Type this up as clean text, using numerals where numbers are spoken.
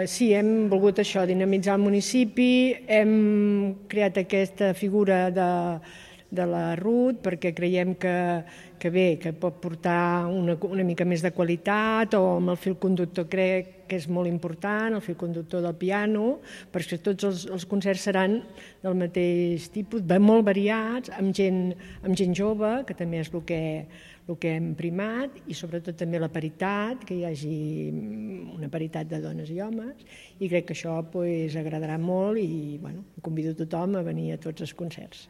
Sí, hem volgut això, dinamitzar el municipi, hem creat aquesta figura de la Ruth perquè creiem que bé, que pot portar una mica més de qualitat, o amb el fil conductor crec que és molt important, el fil conductor del piano, perquè tots els concerts seran del mateix tipus, molt variats, amb gent jove, que també és el que hem primat, i sobretot també la paritat, que hi hagi una paritat de dones i homes, i crec que això agradarà molt i convido tothom a venir a tots els concerts.